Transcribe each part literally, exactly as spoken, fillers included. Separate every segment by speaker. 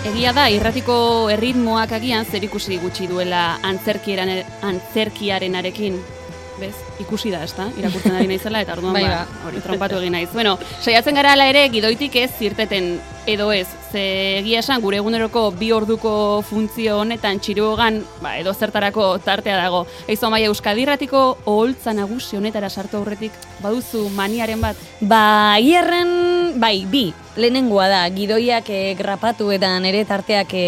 Speaker 1: Egia da, irratiko erritmoak agian zerikusi gutxi duela antzerkiaren, antzerkiarenarekin. Bez, ikusi da, ezta? Irakurtzen ari naizela eta orduan
Speaker 2: bai,
Speaker 1: ba, hori trompatu egin naiz. Bueno, saiatzen gara ala ere gidoitik ez zirteten edo ez. Ze egia esan gure eguneroko bi orduko funtzio honetan txiruogan, ba, edo zertarako tartea dago. Eizo Amaia, Euskadi Irratiko oholtza nagusi honetara sartu aurretik baduzu maniaren bat?
Speaker 2: Ba, hierren, bai, bi. Lehenengoa da, gidoiak e, grapatu eta nere tarteak e,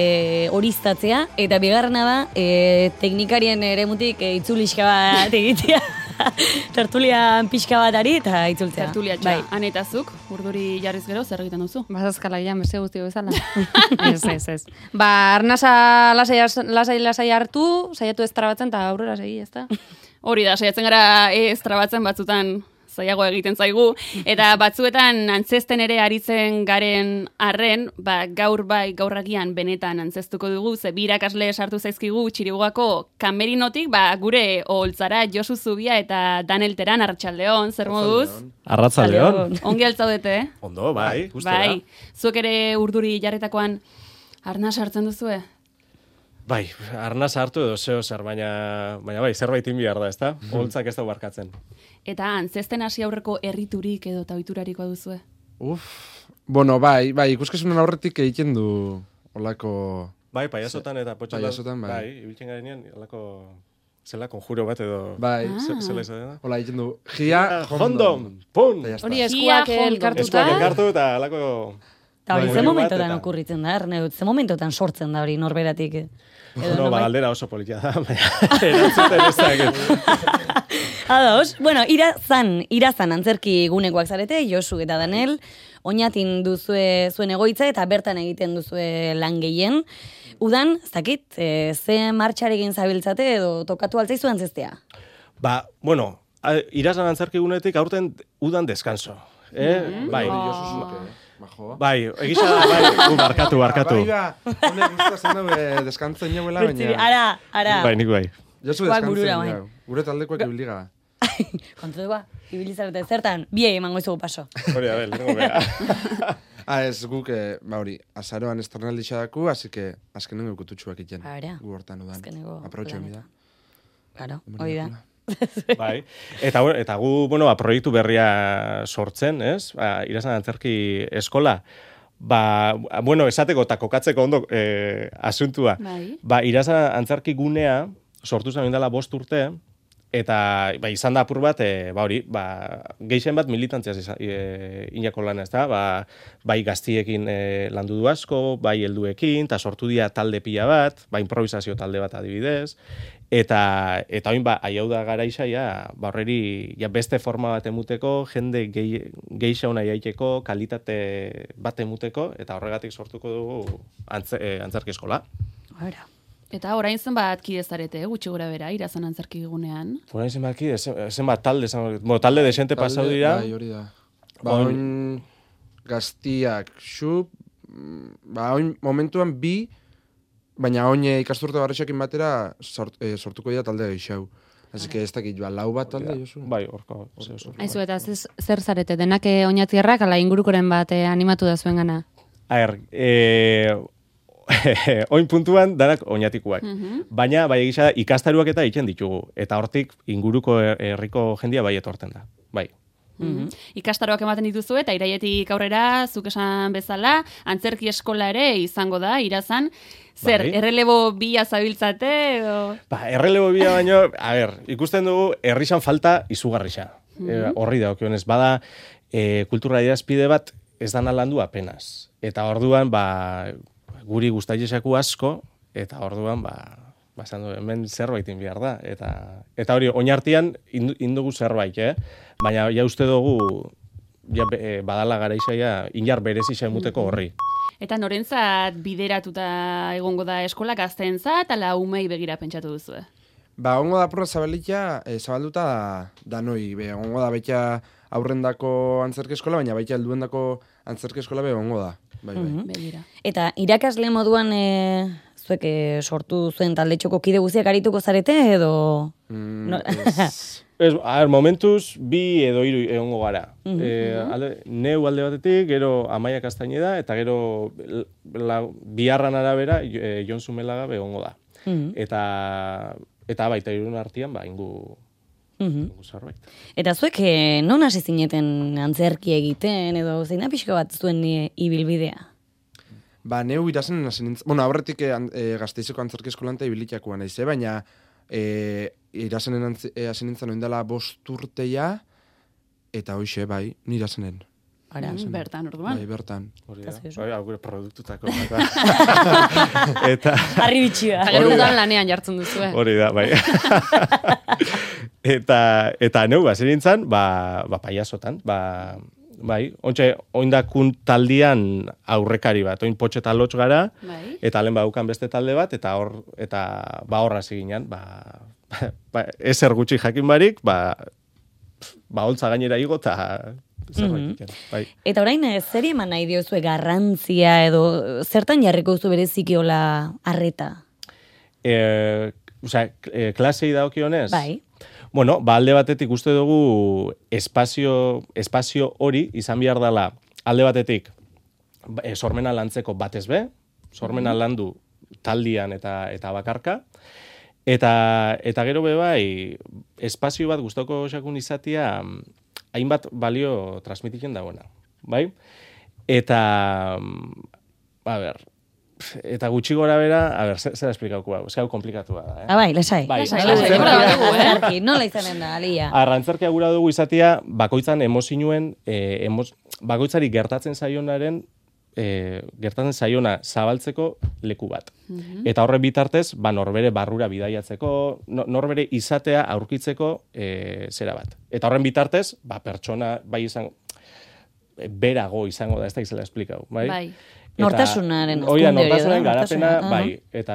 Speaker 2: horiztatzea, eta bigarrena da, e, teknikarien eremutik e, itzuliska bat egitea. Tertulian pixka bat ari eta itzultzea.
Speaker 1: Tertulia txea. Bai. Anetazuk, urduri jarriz gero, zer egiten duzu?
Speaker 3: Bazazkala ian, beste guzti bezala. ez, ez, ez. Ba, arnasa lasai, lasai, lasai hartu, saiatu ez trabatzen eta aurrera segi, ez da?
Speaker 1: Hori da, saiatzen gara ez trabatzen batzutan zaiago egiten zaigu, eta batzuetan antzesten ere aritzen garen arren, ba, gaur bai, gaurragian benetan antzestuko dugu, ze bi irakasle sartu zaizkigu Txirigoko kamerinotik, ba, gure oholtzara Josu Zubia eta Danel Teran, Arratsaldeon, zer moduz?
Speaker 4: Arratsaldeon.
Speaker 1: Ongi altzaudete, eh?
Speaker 4: Ondo, bai, gustora.
Speaker 1: Bai, zuek ere urduri jarretakoan arnas hartzen duzue?
Speaker 4: Bai, arnaz hartu edo zeo zer, baina, baina bai, zerbait behar da, ezta? Oholtzak ez da barkatzen.
Speaker 1: Eta antzesten hasi aurreko erriturik edo tauiturarikoa duzue?
Speaker 5: Uf, bueno, bai, bai, ikuskazunen aurretik egiten du olako...
Speaker 4: Bai, paiazotan eta potxotan.
Speaker 5: Paiazotan, bai.
Speaker 4: Bai, ibiltzen garenean, olako... Zela, konjuro bat edo...
Speaker 5: Bai.
Speaker 4: Ah. Zela izan da?
Speaker 5: Hola, egiten du, gia,
Speaker 4: jondom, pun!
Speaker 3: Hori eskuak elkartuta.
Speaker 4: Eskuak elkartu eta alako...
Speaker 2: Eta hori,
Speaker 4: bai,
Speaker 2: ze
Speaker 4: bat
Speaker 2: momentotan
Speaker 4: eta-
Speaker 2: okurritzen da, Erne, ze momentotan sortzen da hori norberatik. Edo
Speaker 4: No, ba,
Speaker 2: nonbait-
Speaker 4: galdera oso politia da, baina erantzuten ez dakit.
Speaker 2: Ados, bueno, irazan, irazan antzerki gunekoak zarete, Josu eta Danel, oinatin duzue zuen egoitza eta bertan egiten duzue lan gehien. Udan, ez dakit, e, ze martxarekin zabiltzate edo tokatu altzaizu antzestea?
Speaker 4: Ba, bueno, a- irazan antzerki gunetik aurten udan deskanso. Eh? Bai.
Speaker 5: Josu zuke, majo.
Speaker 4: Bai, egisa da, bai, gu barkatu, barkatu.
Speaker 5: Bai, ba, honek gustatzen dago eh, deskantzen jauela, baina...
Speaker 2: Ara, ara.
Speaker 4: Bai, nik bai.
Speaker 5: Josu
Speaker 2: Guak
Speaker 5: deskantzen
Speaker 2: burura, bai.
Speaker 5: jau. Gure taldekoak ibiliga.
Speaker 2: Kontu ba, ibilizarete zertan, biei emango izugu paso.
Speaker 4: Hori da, bel, tengo bea.
Speaker 5: Ah, ez guk, eh, ba hori, azaroan estrenaldi xadaku, así que azkenengo kututxuak iten.
Speaker 2: Ara.
Speaker 5: Gu hortan udan.
Speaker 2: Azkenengo
Speaker 5: Aprotxo
Speaker 2: lanetan.
Speaker 5: emida.
Speaker 2: Claro, hori da.
Speaker 4: Bai. Eta, bueno, eta gu, bueno, ba, proiektu berria sortzen, ez? Ba, irazan antzerki eskola. Ba, bueno, esateko eta kokatzeko ondo eh, asuntua.
Speaker 1: Bai.
Speaker 4: Ba, irazan antzerki gunea sortu zen dela bost urte, eta ba, izan da apur bat, e, ba hori, ba, gehien bat militantziaz izan, e, inako lana, ez da, ba, bai gaztiekin e, landu du asko, bai helduekin, eta sortu dira talde pila bat, ba, improvisazio talde bat adibidez, eta, eta oin ba, aiau da garaixa, ja, ba, horreri, ja, beste forma bat emuteko, jende geixa hona jaiteko, kalitate bat emuteko, eta horregatik sortuko dugu antze, e, antzerki eskola.
Speaker 2: Ara.
Speaker 1: Eta orain zenbat kide zarete, eh, gutxi gora bera, irazan antzerki gunean.
Speaker 4: Orain zenbaki, zenbat talde, zenbat, bueno, talde desente pasau dira.
Speaker 5: Bai, hori da. Ba,
Speaker 4: Oin-
Speaker 5: oin gaztiak xup, ba, oin momentuan bi, baina oin eh, ikasturte barrexakin batera sort, eh, sortuko dira talde geixau. Así que ez dakit, ba, lau bat talde, Josu?
Speaker 4: Bai, orko. Ze oso.
Speaker 3: Aizu, eta zez- zer zarete, denak eh, oinatierrak, ala ingurukoren bat eh, animatu da zuen gana.
Speaker 4: A ber, eh, oin puntuan danak oinatikuak. Baina, bai egisa, ikastaruak eta egiten ditugu. Eta hortik inguruko her- herriko jendia bai etorten da. Bai.
Speaker 1: Mm Ikastaroak ematen dituzu eta iraietik aurrera, zuk esan bezala, antzerki eskola ere izango da, irazan. Zer,
Speaker 4: Bai.
Speaker 1: errelebo bila zabiltzate? Edo...
Speaker 4: Ba, errelebo bia baino, a ber, ikusten dugu herrixan falta izugarrixa. E, horri da, okionez, bada e, kultura idazpide bat ez dana landu apenas. Eta orduan, ba, guri guztaiesaku asko, eta orduan, ba, ba, esan du, hemen zerbaitin behar da. Eta, eta hori, oinartian indu- indugu zerbait, eh? Baina, ja uste dugu, ja, be- e, badala garaizaia, inar berezisa emuteko horri.
Speaker 1: Eta norentzat bideratuta egongo da eskola gazteentzat, ala umei begira pentsatu duzu.
Speaker 5: Ba, ongo da porra zabalitia, eh, zabalduta da, danoi, be, ongo da baita aurrendako antzerki eskola, baina baita helduendako antzerki eskola be ongo da. Bai, bai.
Speaker 1: Begira.
Speaker 2: Eta irakasle moduan e, zuek e, sortu zuen taldetxoko kide guztiak arituko zarete edo...
Speaker 5: Mm,
Speaker 2: No.
Speaker 5: ez,
Speaker 4: Ez, a ber, momentuz, bi edo hiru egongo gara. Mm -hmm. e, alde, neu alde batetik, gero Amaia Castañeda, eta gero la, biharran arabera e, Jon Zumelaga egongo da. Mm -hmm. Eta, eta baita irun artean, ba, ingu... Mm -hmm.
Speaker 2: Eta zuek, eh, non hasi zineten antzerki egiten, edo zein pixka bat zuen e, ibilbidea?
Speaker 5: Ba, neu irazen hasi nintzen, bueno, aurretik e, e, Gasteizeko antzerki eskolan eta ibilitakoa naiz, eh? Baina e, irazenen hasi nintzen oindela bost urteia, eta hoxe, bai, nirazenen.
Speaker 1: Ara, mm, bertan, orduan.
Speaker 5: Bai, bertan.
Speaker 4: Hori da, bai, augure produktutako. Eta...
Speaker 2: Harri bitxia.
Speaker 3: Gero udan lanean jartzen duzu, eh?
Speaker 4: Hori da, bai. eta, eta neu, ba, nintzen, ba, ba, paiazotan, ba... Bai, ontxe, oindakun taldian aurrekari bat, oin potxe eta lotx gara, bai. Eta lehen baukan beste talde bat, eta hor, eta ba horra ziginan, ba, ba, ezer gutxi jakin barik, ba, ba holtza gainera igo, eta zerbait mm -hmm. bai.
Speaker 2: Eta orain, zer eman nahi diozue garrantzia, edo zertan jarriko duzu bereziki hola arreta?
Speaker 4: E, Osea, e, klasei daokionez?
Speaker 2: Bai.
Speaker 4: Bueno, ba alde batetik uste dugu espazio, espazio hori izan behar dela alde batetik e, sormena lantzeko batez be, sormena landu taldian eta eta bakarka, eta eta gero be bai espazio bat gustoko xakun izatia hainbat balio transmititzen dagoena, bai? Eta, a ber, eta gutxi gora bera, a ber, zer esplikauko hau, ez hau komplikatua da, eh?
Speaker 2: Ah, bai, lesai.
Speaker 4: Bai,
Speaker 2: lesai, lesai. Nola izanen da, alia?
Speaker 4: Arrantzarkia gura dugu izatea, bakoitzan emozinuen, eh, emos, bakoitzari gertatzen zaionaren, eh, gertatzen zaiona zabaltzeko leku bat. Mm-hmm. Eta horre bitartez, ba, norbere barrura bidaiatzeko, no, norbere izatea aurkitzeko eh, zera bat. Eta horren bitartez, ba, pertsona, bai izan, berago izango da, ez da izela esplikau, bai?
Speaker 1: Bai.
Speaker 2: Nortasunaren
Speaker 4: hori da, nortasunaren garapena, bai, eta,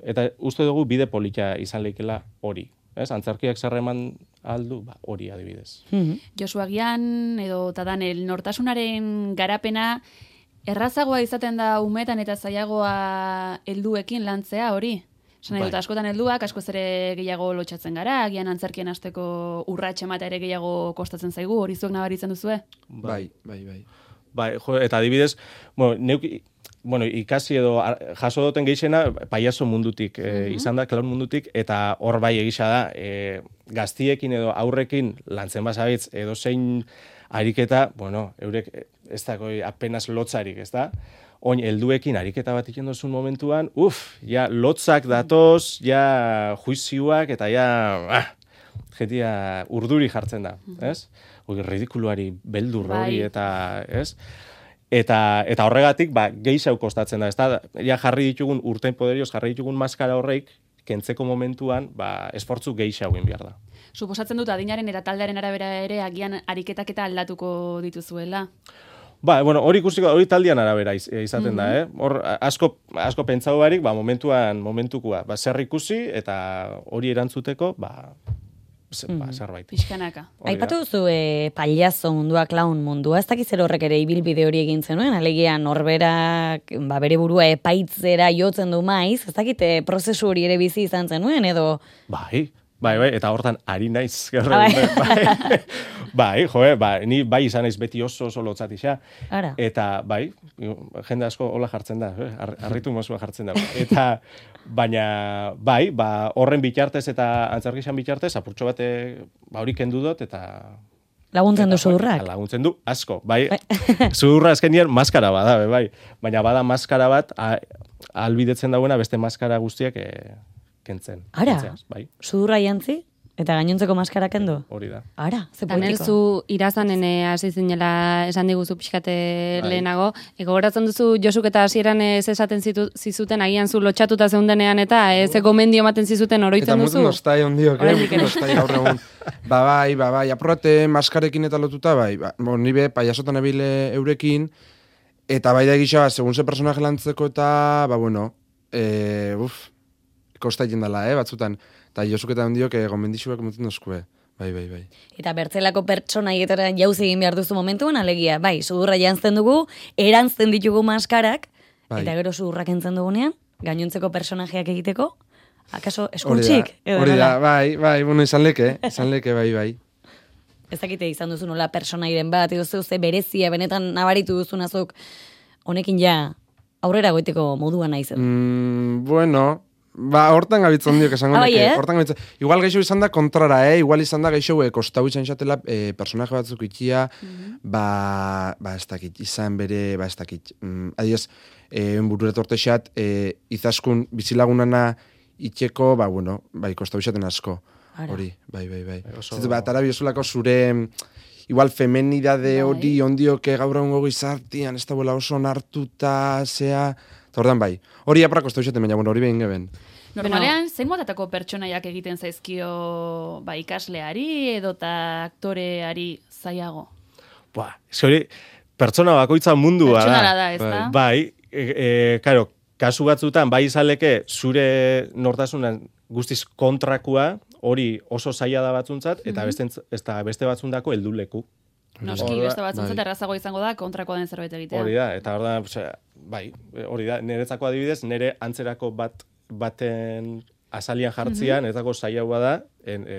Speaker 4: eta uste dugu bide polita izan leikela hori. Ez? Antzerkiak zerreman aldu, ba, hori adibidez.
Speaker 1: Mm-hmm. Josu agian, edo Tadanel, nortasunaren garapena errazagoa izaten da umetan eta zailagoa helduekin lantzea hori? Esan nahi dut, askotan helduak, askoz ere gehiago lotxatzen gara, agian antzerkien hasteko urratxe emata ere gehiago kostatzen zaigu, hori zuek nabaritzen duzue?
Speaker 5: Bai, bai, bai.
Speaker 4: Bai, jo, eta adibidez, bueno, neuk, bueno, ikasi edo jaso duten geixena paiazo mundutik e, mm-hmm. izan da, klaun mundutik, eta hor bai egisa da, e, gaztiekin edo aurrekin lantzen basabitz edo zein ariketa, bueno, eurek ez dako apenas lotzarik, ez da? Oin, helduekin ariketa bat iken dozun momentuan, uf, ja, lotzak datoz, ja, juizioak, eta ja, ah, jetia urduri jartzen da, ez? Hoi, ridikuluari beldur hori, eta, ez? Eta, eta horregatik, ba, gehiago kostatzen da, ez da? Ja, jarri ditugun, urten poderioz, jarri ditugun maskara horreik, kentzeko momentuan, ba, esfortzu gehiago egin behar da.
Speaker 1: Suposatzen dut, adinaren eta taldearen arabera ere, agian ariketak eta aldatuko dituzuela.
Speaker 4: Ba, bueno, hori ikusiko, hori taldian arabera iz, izaten mm-hmm. da, eh? Hor, asko, asko pentsau barik, ba, momentuan, momentukoa, ba, zer ikusi, eta hori erantzuteko, ba, zer, ba, zerbait.
Speaker 1: Pixkanaka.
Speaker 2: Aipatu duzu e, paliazo mundua, klaun mundua, ez dakiz zer horrek ere ibilbide hori egin zenuen, alegia norberak, ba, bere burua epaitzera jotzen du maiz, ez dakite prozesu hori ere bizi izan zenuen, edo...
Speaker 4: Bai, bai, bai, eta hortan ari naiz. Bai. bai, bai, joe, ba, ni bai izan naiz beti oso oso lotzatixa.
Speaker 2: Ara.
Speaker 4: Eta, bai, jende asko hola jartzen da, eh? Arritu mozua jartzen da. Eta, baina, bai, ba, horren bitartez eta antzerkixan bitartez, apurtxo bate, ba, hori kendu dut, eta...
Speaker 2: Laguntzen du zudurrak?
Speaker 4: Laguntzen du, asko, bai. Zudurra azkenien maskara bada, bai. Baina bada maskara bat, albidetzen dagoena beste maskara guztiak e, kentzen.
Speaker 2: Ara,
Speaker 4: kentzeaz, bai.
Speaker 2: Zudurra jantzi? Eta gainontzeko maskara kendu?
Speaker 4: Hori da.
Speaker 2: Ara, ze
Speaker 3: Tanel,
Speaker 2: politiko.
Speaker 3: zu irazanen hasi zinela esan diguzu pixkate bai. Lehenago. Ego goratzen duzu Josuk eta hasieran ez esaten zitu, zizuten, agian zu lotxatuta zeundenean eta ez gomendio ematen zizuten oroitzen duzu?
Speaker 5: Eta mutu nostai ondiok, eh? Mutu nostai gaur egun. Ba bai, ba bai, apurrate maskarekin eta lotuta, bai. Ba, bon, nibe, paiasotan ebile eurekin, eta bai da egisa, segun ze personaje lantzeko eta, ba bueno, e, uf, kosta jendala, eh, batzutan. Eta Josuk eta ondiok eh, gomendixuak emoten dozkue. Bai, bai, bai.
Speaker 2: Eta bertzelako pertsona hietara jauzi egin behar duzu momentuan, alegia, bai, sudurra jantzten dugu, erantzten ditugu maskarak, bai. Eta gero sudurrak entzen dugunean, gainontzeko personajeak egiteko, Akaso
Speaker 5: Hori da,
Speaker 2: eskuntxik?
Speaker 5: hori da, bai, bai, bueno, izan leke, izan leke, bai, bai.
Speaker 2: Ez dakite izan duzu nola personairen bat, edo zeu ze berezia, benetan nabaritu duzun azuk, honekin ja aurrera goiteko modua naiz.
Speaker 5: Mm, bueno, ba, hortan gabitzen diok esango
Speaker 2: Ah, bai,
Speaker 5: neke.
Speaker 2: eh?
Speaker 5: Hortan gabitzen. Igual geixo izan da kontrara, eh? Igual izan da geixo eh, kostau izan xatela eh, personaje batzuk itxia, ba, ba, ez dakit, izan bere, ba, ez dakit. Mm, adiez, eh, burura tortexat, eh, izaskun bizilagunana itxeko, ba, bueno, bai, kostau izaten asko.
Speaker 2: Ara.
Speaker 5: Hori, bai, bai, bai.
Speaker 4: oso-
Speaker 5: Zitu, bat, arabiozulako zure, igual femenidade
Speaker 2: Bai.
Speaker 5: hori ondioke gaur egungo gizartian, ez da bola oso onartuta, zea, eta ordan bai. Hori apra kostau izaten, baina, bueno, hori behin geben.
Speaker 1: Normalean, zein motatako pertsonaiak egiten zaizkio ba, ikasleari edota aktoreari zailago?
Speaker 4: Ba, ez hori, pertsona bakoitza mundua da.
Speaker 1: Pertsonala da, ez da?
Speaker 4: Bai, e, e, karo, kasu batzutan, bai izaleke zure nortasunan guztiz kontrakua, hori oso zaila da batzuntzat, eta beste, ez da beste batzundako helduleku.
Speaker 1: Noski,
Speaker 5: Hor da,
Speaker 1: beste batzuentzat
Speaker 5: bai.
Speaker 1: errazago izango da kontrakoa den zerbait egitea.
Speaker 4: Hori da, eta hor da, osea, bai, hori da, niretzako adibidez, nire antzerako bat baten azalian jartzian, niretzako zailagoa da, en, e,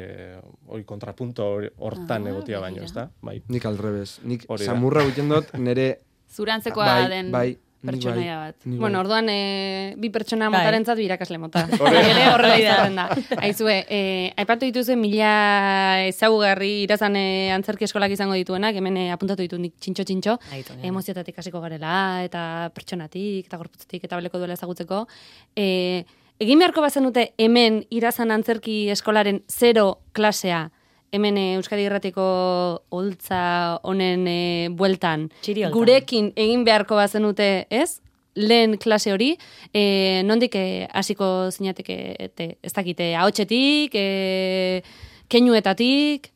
Speaker 4: hori kontrapunto hori- hortan
Speaker 1: Ah,
Speaker 4: egotia baino,
Speaker 1: begira.
Speaker 4: ez da? Bai.
Speaker 5: Nik alrebez. Nik
Speaker 4: Hori da.
Speaker 5: samurra egiten dut nire...
Speaker 1: Zurantzekoa
Speaker 5: bai,
Speaker 1: den
Speaker 5: bai, nik
Speaker 1: pertsonaia
Speaker 5: bai,
Speaker 1: bat.
Speaker 5: nik
Speaker 3: Bueno,
Speaker 5: bai.
Speaker 3: orduan e, bi pertsona
Speaker 2: Bai.
Speaker 3: motarentzat bi irakasle mota.
Speaker 4: Hori da.
Speaker 3: Ere horrela izaten da. Aizue, e, aipatu dituzu mila ezagugarri irazan e, antzerki eskolak izango dituenak, hemen e, apuntatu ditu nik txintxo-txintxo,
Speaker 2: Aitu, ja.
Speaker 3: emoziotatik hasiko garela, eta pertsonatik, eta gorputzetik, eta baleko duela ezagutzeko. E, egin beharko bazenute hemen irazan antzerki eskolaren zero klasea, hemen e, Euskadi Irratiko holtza honen e, bueltan,
Speaker 2: Txiri holtzan.
Speaker 3: gurekin egin beharko bazenute, ez? Lehen klase hori, e, nondik e, hasiko zinateke, ete, ez dakite, ahotsetik, e, keinuetatik,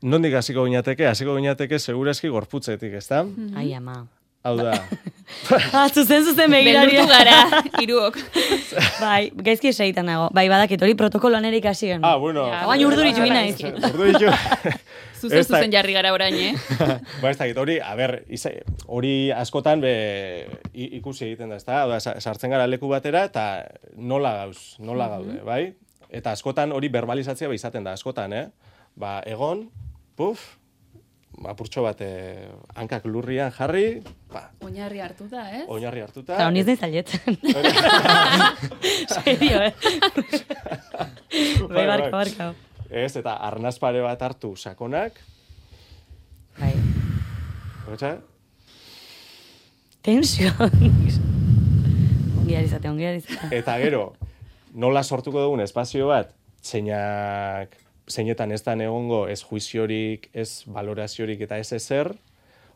Speaker 4: Nondik hasiko ginateke? Hasiko ginateke segurazki gorputzetik, ez da?
Speaker 2: Ai, ama.
Speaker 4: Hau da,
Speaker 2: Ah, zuzen zuzen begiraria.
Speaker 1: Beldurtu gara, hiruok.
Speaker 2: Bai, gaizki esaitan nago. Bai, badakit, hori protokoloan ere ikasien.
Speaker 4: ah, bueno.
Speaker 2: Baina urduritu gina naiz.
Speaker 4: Urduritu.
Speaker 1: Zuzen
Speaker 4: Ez da-
Speaker 1: zuzen jarri gara orain, eh?
Speaker 4: Ba, ez dakit, hori, a ber, iza- hori askotan be, i- ikusi egiten da, ez da? Oda, sa- sartzen gara leku batera, eta nola gauz, nola gaude, bai? Eta askotan hori verbalizatzea ba izaten da, askotan, eh? Ba, egon, puf, apurtxo bat eh, hankak lurrian jarri, ba,
Speaker 1: Oinarri hartu da, ez?
Speaker 4: oinarri hartuta.
Speaker 2: Eta honiz nahi zailetzen. Serio, eh? Bai, barka, barka.
Speaker 4: Ez, eta arnaz pare bat hartu sakonak,
Speaker 2: Bai.
Speaker 4: Otsa?
Speaker 2: Tensio. Ongi arizate, ongi arizate.
Speaker 4: Eta gero, nola sortuko dugun espazio bat, zeinak, zeinetan ez da egongo ez juiziorik, ez valoraziorik eta ez ezer,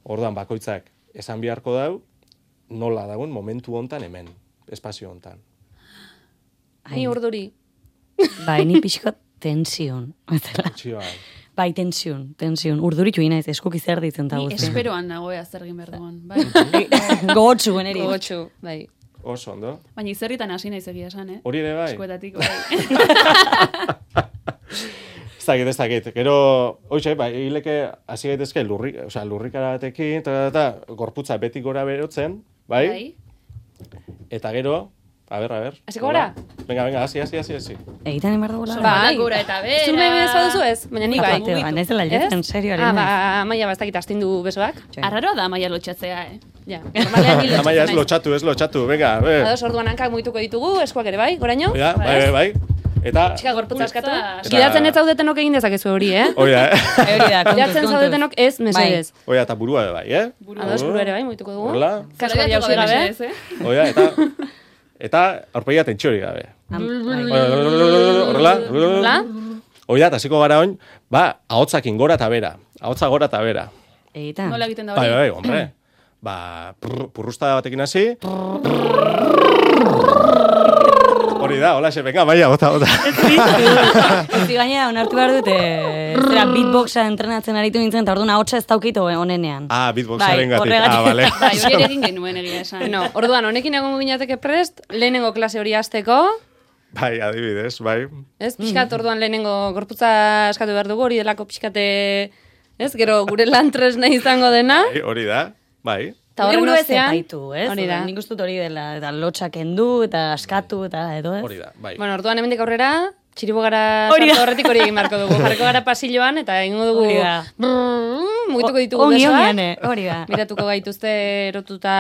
Speaker 4: orduan bakoitzak esan beharko dau, nola dagoen momentu hontan hemen, espazio hontan.
Speaker 3: ni urduri.
Speaker 2: Bai, ni pixko tension.
Speaker 4: Txioan.
Speaker 2: Bai, tension, tension. Urduritu inaiz, eskuk zer ditzen ta
Speaker 1: Ni
Speaker 2: guzti.
Speaker 1: esperoan nagoea zer egin behar duan. Bai.
Speaker 2: Gogotsu generi.
Speaker 3: Gogotsu, bai.
Speaker 4: Oso, ondo?
Speaker 1: Baina izerritan hasi naiz egia esan, eh?
Speaker 4: Hori ere bai?
Speaker 1: Eskuetatik, bai.
Speaker 4: Ez dakit, ez dakit. Gero, hoxe, bai, hileke hasi gaitezke lurrik, osea, lurrikara batekin, eta, eta, gorputza beti gora berotzen, bai? Eta gero, a ber, a ber.
Speaker 3: Hasiko gara?
Speaker 4: Venga, venga, hasi, hasi, hasi, hasi.
Speaker 2: Egiten emar dugula.
Speaker 3: Bai.
Speaker 1: Gora eta bera.
Speaker 3: Zu nahi bez baduzu ez? Baina ni bai.
Speaker 2: Aparte, ba, naizela letzen, serio,
Speaker 3: Ah,
Speaker 2: ari
Speaker 3: ba,
Speaker 2: naiz.
Speaker 3: maia bastakit astindu besoak.
Speaker 1: Arraroa da maia lotxatzea, eh?
Speaker 3: Ja, normalean ni
Speaker 4: Amaia, ez
Speaker 3: lotxatzen naiz.
Speaker 4: lotxatu, ez lotxatu, venga, a ber.
Speaker 3: Ados, orduan hankak muituko ditugu, eskuak ere bai, goraino?
Speaker 4: Ja, bai, bai, bai. Eta,
Speaker 3: Txika gorputza askatu.
Speaker 1: Eta-
Speaker 3: Gidatzen ez zaudetenok egin dezakezu hori, eh?
Speaker 4: oia, eh?
Speaker 2: Hori da, kontuz,
Speaker 3: Gidatzen
Speaker 2: kontuz.
Speaker 3: zaudetenok ez, mesedez.
Speaker 4: Oia, eta burua ere bai, eh?
Speaker 3: Ados, buru ere bai, muituko dugu.
Speaker 4: Horrela,
Speaker 3: Kaskoa jauzi gabe.
Speaker 1: eh?
Speaker 4: oia, eta, eta, aurpegia tentxori gabe.
Speaker 2: Am- bai.
Speaker 4: Horrela,
Speaker 3: Hola?
Speaker 4: oia, eta hasiko gara oin, ba, ahotzakin gora eta bera. Ahotza gora eta bera.
Speaker 2: Egiten.
Speaker 1: Nola egiten da
Speaker 4: Bai,
Speaker 1: hori?
Speaker 4: bai, hombre. Ba, prr, purrusta batekin hasi. Hori da, hola, xe, venga, maia, bota, bota.
Speaker 2: Ezi gaina, onartu behar dute, zera beatboxa entrenatzen aritu nintzen, eta orduan ahotsa ez daukito honenean.
Speaker 4: Ah, beatboxaren gatik.
Speaker 2: horregatik.
Speaker 4: Ah, vale.
Speaker 1: Bai, hori ere egin genuen egia esan.
Speaker 3: Bueno, orduan, honekin egongo ginateke prest, lehenengo klase hori hasteko,
Speaker 4: Bai, adibidez, bai.
Speaker 3: ez? Pixkat orduan lehenengo gorputza eskatu behar dugu, hori delako pixkate, ez? Gero gure lan tresna izango dena.
Speaker 4: Bai, hori da, bai.
Speaker 3: eta horren
Speaker 2: Euro ez
Speaker 3: ostean,
Speaker 2: epaitu, ez?
Speaker 3: hori da.
Speaker 2: Nik uste dut hori dela, eta lotxak kendu, eta askatu, eta edo ez?
Speaker 4: Hori da, bai.
Speaker 3: Bueno, orduan hemendik aurrera, txiribogara
Speaker 2: Hori da.
Speaker 3: sartu horretik hori egin beharko dugu. Jarriko gara pasilloan, eta egingo dugu,
Speaker 2: Hori da.
Speaker 3: brrrr, mugituko ditugu
Speaker 2: Ongi,
Speaker 3: besoak,
Speaker 2: ongi, hori da.
Speaker 3: miratuko gaituzte erotuta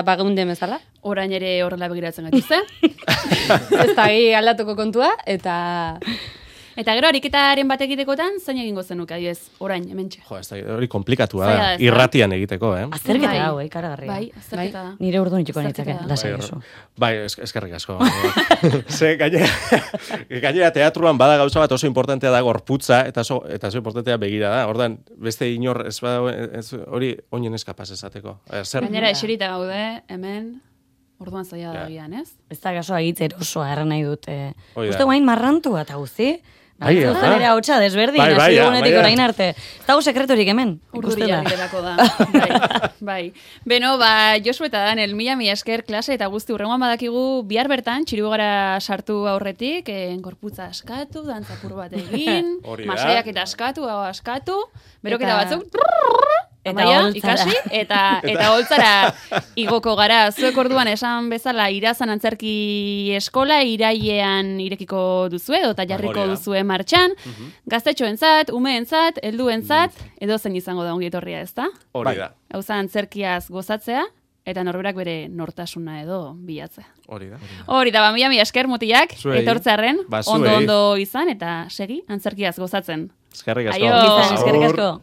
Speaker 3: bageunde bezala.
Speaker 1: Orain ere horrela begiratzen gaituzte.
Speaker 3: Ez da, hi aldatuko kontua, eta...
Speaker 1: Eta gero, ariketaren bat egitekotan, zain egingo zenuke, adibidez, orain, hementxe.
Speaker 4: Jo, ez da, hori komplikatua
Speaker 1: Zaila
Speaker 4: da,
Speaker 1: da, ez da?
Speaker 4: irratian egiteko, eh?
Speaker 2: Azterketa
Speaker 1: Bai.
Speaker 2: hau, eh, karagarria.
Speaker 1: Bai, azterketa da.
Speaker 2: Nire urdu nitxuko
Speaker 1: Azterketa
Speaker 2: nitzake,
Speaker 1: da.
Speaker 2: lasai
Speaker 4: Bai,
Speaker 2: oso.
Speaker 4: Bai, es, eskerrik asko. Ze, gainera, gainera teatruan bada gauza bat oso importantea da gorputza, eta oso, eta oso importantea begira da. Ordan beste inor ez bada, ez, hori oinen eskapaz esateko. Eh, Zer?
Speaker 1: Gainera, eserita gaude, hemen, orduan zaila da
Speaker 4: Ja.
Speaker 1: gian, ez?
Speaker 2: Ez da gasoa hitz erosoa erran nahi dut. Eh.
Speaker 4: Hoi da.
Speaker 2: Uste guain marrantua eta guzti.
Speaker 4: Bai,
Speaker 2: Bai,
Speaker 4: ez da?
Speaker 2: nire hautsa desberdin,
Speaker 4: Bai, bai,
Speaker 2: hasi
Speaker 4: ja,
Speaker 2: dugunetik
Speaker 4: bai, ja.
Speaker 2: orain arte. Ez dago sekreturik hemen, ikusten
Speaker 1: Urduria
Speaker 2: da.
Speaker 1: biderako da. Bai, bai. Beno, ba, Josu eta Daniel, mila mila esker klase eta guzti urrengoan badakigu bihar bertan, txiribogara sartu aurretik, eh, gorputza askatu, dantzapur bat egin,
Speaker 4: Hori da.
Speaker 1: masaiak eta askatu, hau askatu, beroketa
Speaker 3: Eta-
Speaker 1: batzuk,
Speaker 2: Eta
Speaker 1: Amaia,
Speaker 2: holtzara.
Speaker 1: ikasi, eta, eta holtzara igoko gara. Zuek orduan esan bezala irazan antzerki eskola irailean irekiko duzue, edo eta jarriko
Speaker 4: Hori da.
Speaker 1: duzue martxan, gaztetxoentzat, umeentzat, helduentzat, edo zen izango da ongi etorria, ezta?
Speaker 4: Hori da,
Speaker 1: Hauza antzerkiaz gozatzea, eta norberak bere nortasuna edo bilatzea.
Speaker 4: hori da.
Speaker 1: Hori da, ba, mila mila esker mutiak,
Speaker 5: Zuei.
Speaker 1: etortzearren,
Speaker 4: Ba, zuei.
Speaker 1: ondo ondo izan, eta segi, antzerkiaz gozatzen.
Speaker 4: Eskerrik asko.
Speaker 1: Aio.
Speaker 2: Izan, eskerrik asko.